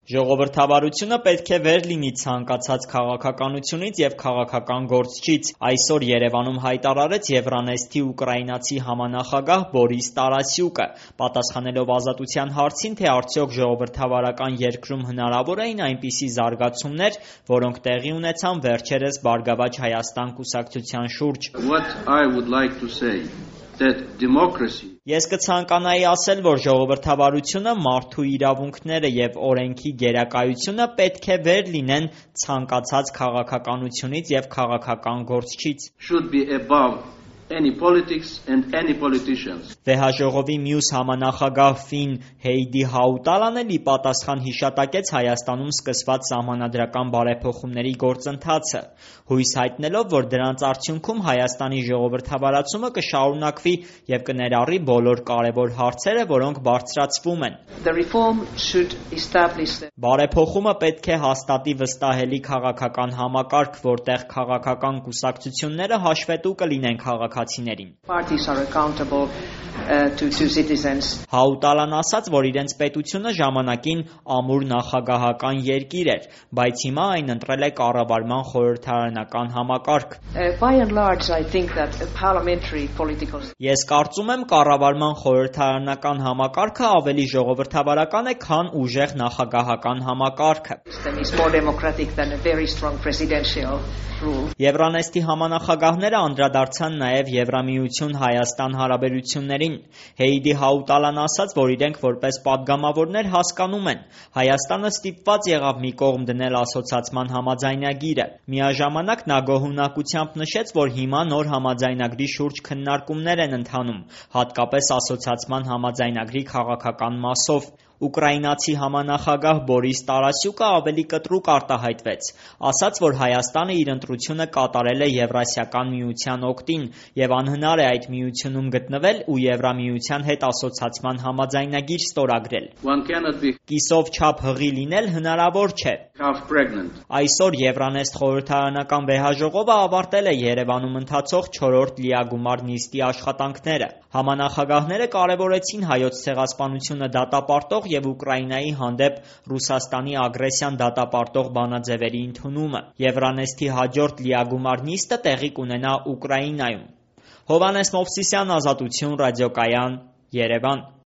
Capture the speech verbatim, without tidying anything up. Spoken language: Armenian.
Ժողովրդավարությունը պետք է վեր լինի ցանկացած քաղաքականությունից և քաղաքական գործչից, այսօր Երևանում հայտարարեց Եվրանեստի ուկրաինացի համանախագահ Բորիս Տարասյուկը, պատասխանելով Ազատության հարցին, թե արդյոք ժողովրդավարական երկրում հնարավոր էին այնպիսի զարգացումներ, որոնք տեղի ունեցան վերջերս Բարգավաճ Հայաստան կուսակցության շուրջ։ Ես կցանկանայի ասել, որ ժողովրդավարությունը, մարդու իրավունքները և օրենքի գերակայությունը պետք է վեր լինեն ցանկացած քաղաքականությունից և քաղաքական գործչից։ Վեհաժողովի մյուս համանախագահ Ֆին Հեյդի Հաուտալան էլ ի պատասխան հիշատակեց Հայաստանում սկսված սահմանադրական բարեփոխումների գործընթացը, հույս հայտնելով, որ դրանց արդյունքում Հայաստանի ժողովրդավարացումը կշարունակվի և կներառի բոլոր կարևոր հարցերը, որոնք բարձրացվում են։ Բարեփոխումը պետք է հաստատի վստահելի քաղաքական համակարգ, որտեղ քաղաքական կուսակցությունները հաշվետու կլինեն քաղաքացիներին։ Հաուտալան ասաց, որ իրենց պետությունը ժամանակին ամուր նախագահական երկիր էր, բայց հիմա այն ընտրել է կառավարման խորհրդարանական համակարգ։ Ես կարծում եմ կառավարման խորհրդարանական համակարգը ավելի ժողովրդավարական է, քան ուժեղ նախագահական համակարգը։ Եվրանեստի համանախագահները անդրադարձան նաև Եվրամիություն-Հայաստան հարաբերություններին։ Հեյդի Հաուտալան ասաց, որ իրենք որպես պատգամավորներ հասկանում են՝ Հայաստանը ստիպված եղավ մի կողմ դնել ասոցացման համաձայնագիրը։ Միաժամանակ նա գոհունակությամբ նշեց, որ հիմա նոր համաձայնագրի շուրջ քննարկումներ են ընթանում, հատկապես ասոցացման համաձայնագրի քաղաքական մասով։ Ուկրաինացի համանախագահ Բորիս Տարասյուկը ավելի կտրուկ արտահայտվեց, ասաց, որ Հայաստանը իր ընտրությունը կատարել է Եվրասիական միության օգտին և անհնար է այդ միությունում գտնվել ու Եվրամիության հետ ասոցացման համաձայնագիր ստորագրել։ Կիսով չափ հղի լինել հնարավոր չէ։ Այսօր Եվրանեստ խորհրդարանական վեհաժողովը ավարտել է Երևանում ընթացող չորրորդ լիագումար նիստի աշխատանքները։ Համանախագահները կարևորեցին Հայոց ցեղասպանությունը դատապարտող և Ուկրաինայի հանդեպ Ռուսաստանի ագրեսիան դատապարտող բանաձևերի ընդունումը։ Եվրանեստի հաջորդ լիագումար նիստը տեղի կունենա Ուկրաինայում։ Հովհաննես Մովսիսյան, Ազատություն ռադիոկայան, Երևան։